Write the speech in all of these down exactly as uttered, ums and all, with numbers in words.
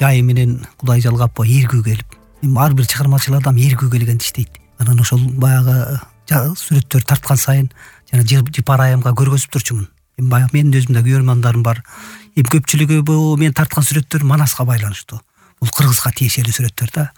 жайы менен Кудай жалгап эргүү келип, эми ар бир чыгармачыл адам эргүү келгенди иштейт. Анан ошол баягы сүрөттөр тарткан сайын жана жыпар айымга көргөзүп турчумун. Эми баягы менин өзүмдө көрөрмандарым бар. Эми көпчүлүгү бул мен тарткан сүрөттөр Манаска байланыштуу. Бул Кыргызга тиешелүү сүрөттөр да.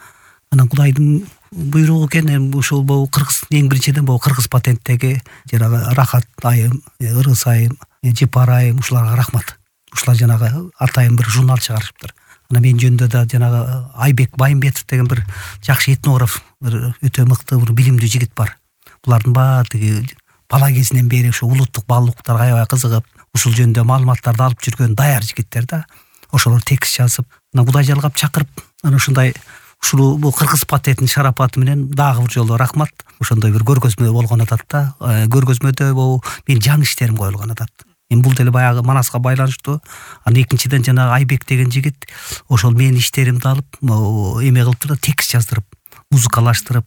Анан Кудайдын буйругу экен, эми ушул бул Кыргыз эң биринчиден бул Кыргыз патенттеги жанагы Рахат айым, Ырыс айым, Жыпар айым ушуларга рахмат. Ушулар жанагы атайын бир журнал чыгарышыптыр. Анан мен жөнүндө да жанагы Айбек Байымбетов деген бир жакшы этнограф, бир өтө мыкты, бир билимдүү жигит бар. Булардын баары тиги бала кезинен бери ушу улуттук баалуулуктарга аябай кызыгып, ушул жөнүндө маалыматтарды алып жүргөн даяр жигиттер да. Ошолор текст жазып, анан Кудай жалгап чакырып, анан ушундай ушул бул Кыргыз патенттин шарапаты менен дагы бир жолу рахмат. Ошондой бир көргөзмө болгон атат да. Көргөзмөдө бул менин жан иштерим коюлган атат. Эми бул деле баягы Манаска байланыштуу. Анан экинчиден жанагы Айбек деген жигит ошол менин иштеримди алып, эме кылып турду, текст жаздырып, музыкалаштырып,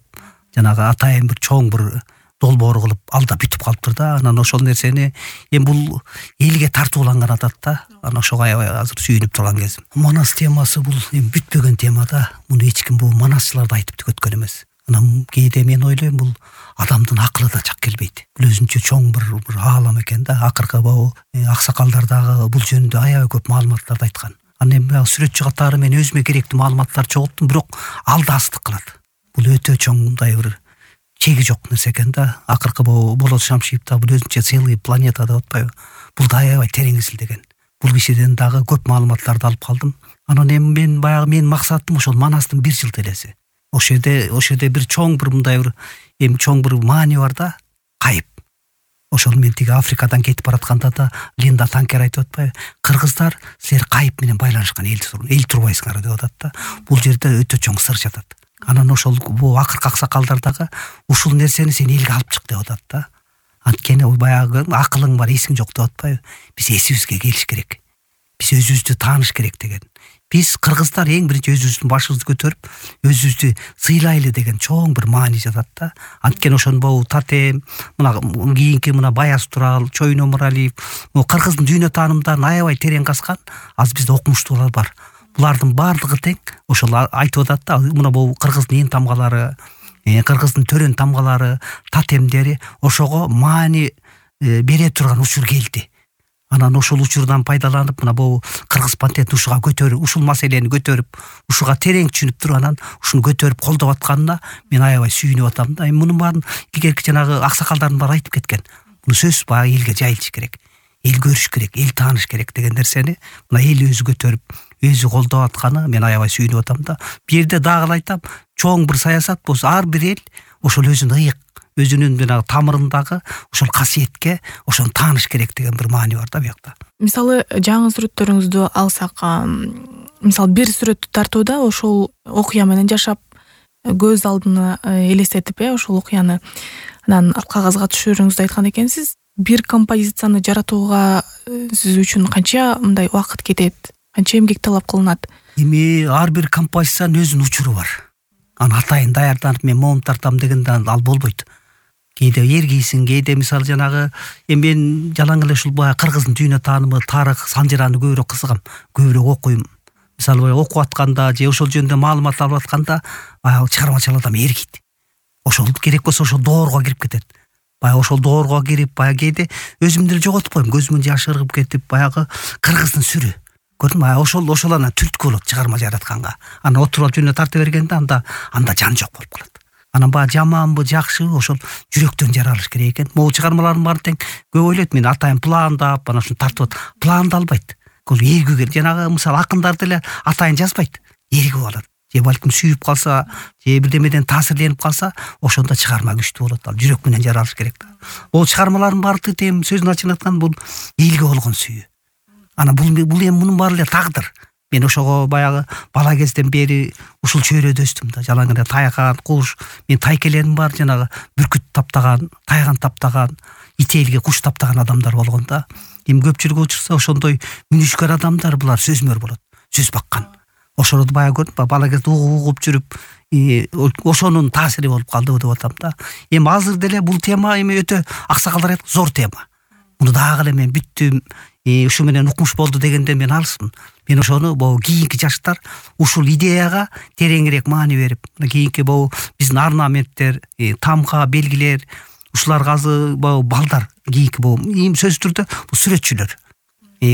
жанагы атайын бир чоң бир долбоор кылып алда бүтүп калыптыр да. Анан ошол нерсени эми бул элге тартууланган атат да. Анан ошого аябай азыр сүйүнүп турган кезим. Манас темасы бул эми бүтпөгөн тема да. Муну эч ким бул манасчылар да айтып түгөткөн эмес. Анан кээде мен ойлойм, бул адамдын акылы да чак келбейт. Бул өзүнчө чоң бир бир аалам экен да. Акыркы бул аксакалдар дагы бул жөнүндө аябай көп маалыматтарды айткан. Анан эми сүрөтчү катары мен өзүмө керектүү маалыматтарды чогулттум, бирок алда астык кылат. Бул өтө чоң мындай бир чеги жок нерсе экен да. Акыркы бул Болот Шамшиев да бул өзүнчө целый планета деп атпайбы? Бул да аябай терең изилдеген. Бул кишиден дагы көп маалыматтарды алып калдым. Анан эми мен баягы менин максатым ошол Манастын бир жыл телеси. Ошол жерде ошол жерде бир чоң бир мындай бир эми чоң бир маани бар да, кайып. Ошол мен тиги Африкадан кетип баратканда да Линда Танкер айтып атпайбы? Кыргыздар силер кайып менен байланышкан эл эл турбайсыңар деп атат да. Бул жерде өтө чоң сыр жатат. Анан ошол бул акыркы аксакалдар дагы ушул нерсени сен элге алып чык деп атат да. Анткени баягы акылың бар, эсиң жок деп атпайбы? Биз эсибизге келиш керек. Биз өзүбүздү тааныш керек деген. Биз кыргыздар эң биринчи өзүбүздүн башыбызды көтөрүп, өзүбүздү сыйлайлы деген чоң бир маани жатат да. Анткени ошонбу Татем, мына кийинки мына Баяз Турал, Чойно Муралиев, кыргыздын дүйнө таанымдарын аябай терең казган аз бизде окумуштуулар бар. Булардын баардыгы тең ошол айтып атат да. Мына бул кыргыздын ээн тамгалары, кыргыздын төрөн тамгалары, татемдери ошого маани бере турган учур келди. Анан ошол учурдан пайдаланып, мына бул Кыргыз патент ушуга көтөрүп, ушул маселени көтөрүп, ушуга терең түшүнүп туруп, анан ушуну көтөрүп колдоп атканына мен аябай сүйүнүп атам да. Эми мунун баарын илгерки жанагы аксакалдардын баары айтып кеткен. Муну сөзсүз баягы элге жайылыш керек. Эл көрүш керек, эл тааныш керек деген нерсени мына эл өзү көтөрүп, өзү колдоп атканы мен аябай сүйүнүп атам да. Бу жерде дагы айтам, чоң бир саясат болсо ар бир эл ошол өзүнүн ыйык, өзүнүн жанагы тамырындагы ошол касиетке ошону тааныш керек деген бир маани бар да буякта. Мисалы жаңы сүрөттөрүңүздү алсак, мисалы бир сүрөттү тартууда ошол окуя менен жашап, көз алдына элестетип, э, ошол окуяны анан кагазга түшүрүүңүздү айткан экенсиз. Бир композицияны жаратууга сиз үчүн канча мындай убакыт кетет? Канча эмгек талап кылынат? Эми ар бир композициянын өзүнүн учуру бар. Аны атайын даярданып мен моун тартам дегенде ал болбойт. Кээде эргийсиң, кээде мисалы жанагы эми мен жалаң эле ушул баягы кыргыздын дүйнө таанымы, тарых, санжыраны көбүрөөк кызыгам, көбүрөөк окуйм. Мисалы окуп атканда же ошол жөнүндө маалымат алып атканда баягы чыгармачыл адам эргийт. Ошол керек болсо ошол доорго кирип кетет. Баягы ошол доорго кирип, баягы кээде өзүмдү деле жоготуп коем, көзүмөн жаш ыргып кетип, баягы кыргыздын сүрү. Көрдүңбү? Ошол ошол анан түрткү болот чыгарма жаратканга. Анан отуруп алып жөнүнө тарта бергенде анда анда жан жок болуп калат. Анан баягы жаманбы, жакшыбы ошол жүрөктөн жаралыш керек экен. Могу чыгармалардын баары тең көп ойлойт, мен атайын пландап, анан ушуну тартып атат. Пландалбайт. Кол эргүү керек. Жанагы мисалы акындар деле атайын жазбайт. Эргүү алат. Же балким сүйүп калса, же бирдемеден таасирленип калса, ошондо чыгарма күчтүү болот. Ал жүрөк менен жаралыш керек да. Бул чыгармалардын баары тең сөзүн ачык айтканда бул элге болгон сүйүү. Анан бул бул эми мунун баары эле тагдыр. Мен ошого баягы бала кезден бери ушул чөйрөдө өстүм да. Жалаң эле тайган, куш, мен тайкелерим бар, жанагы бүркүт таптаган, тайган таптаган, ителге куш таптаган адамдар болгон да. Эми көпчүлүк учурса ошондой мүнүшкөр адамдар, булар сөзмөр болот. Сөз баккан. Ошону баягы көрдүм, бала кезде угуп жүрүп, ошонун таасири болуп калды деп атам да. Эми азыр деле бул тема эми өтө аксакалдар айткан зор тема. муну дагы эле мен бүттүм, ушу менен укмуш болду дегенде мен алысмын. Мен ошону могу кийинки жаштар ушул идеяга тереңирээк маани берип, кийинки могу биздин орнаменттер, тамга, белгилер, ушуларга азыр могу балдар, кийинки могу эми сөзсүз түрдө бул сүрөтчүлөр.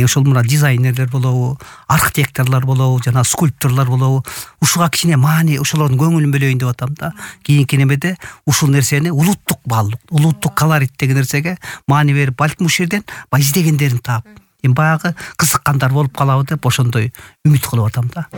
Ошол мына дизайнерлер болобу, архитекторлор болобу, жана скульпторлор болобу, ушуга кичине маани, ошолордун көңүлүн бөлөйүн деп атам да. Кийинки немеде ушул нерсени улуттук баалуулук, улуттук колорит деген нерсеге маани берип, балким ушул жерден баягы издегендерин таап, эми баягы кызыккандар болуп калабы деп ошондой үмүт кылып атам да.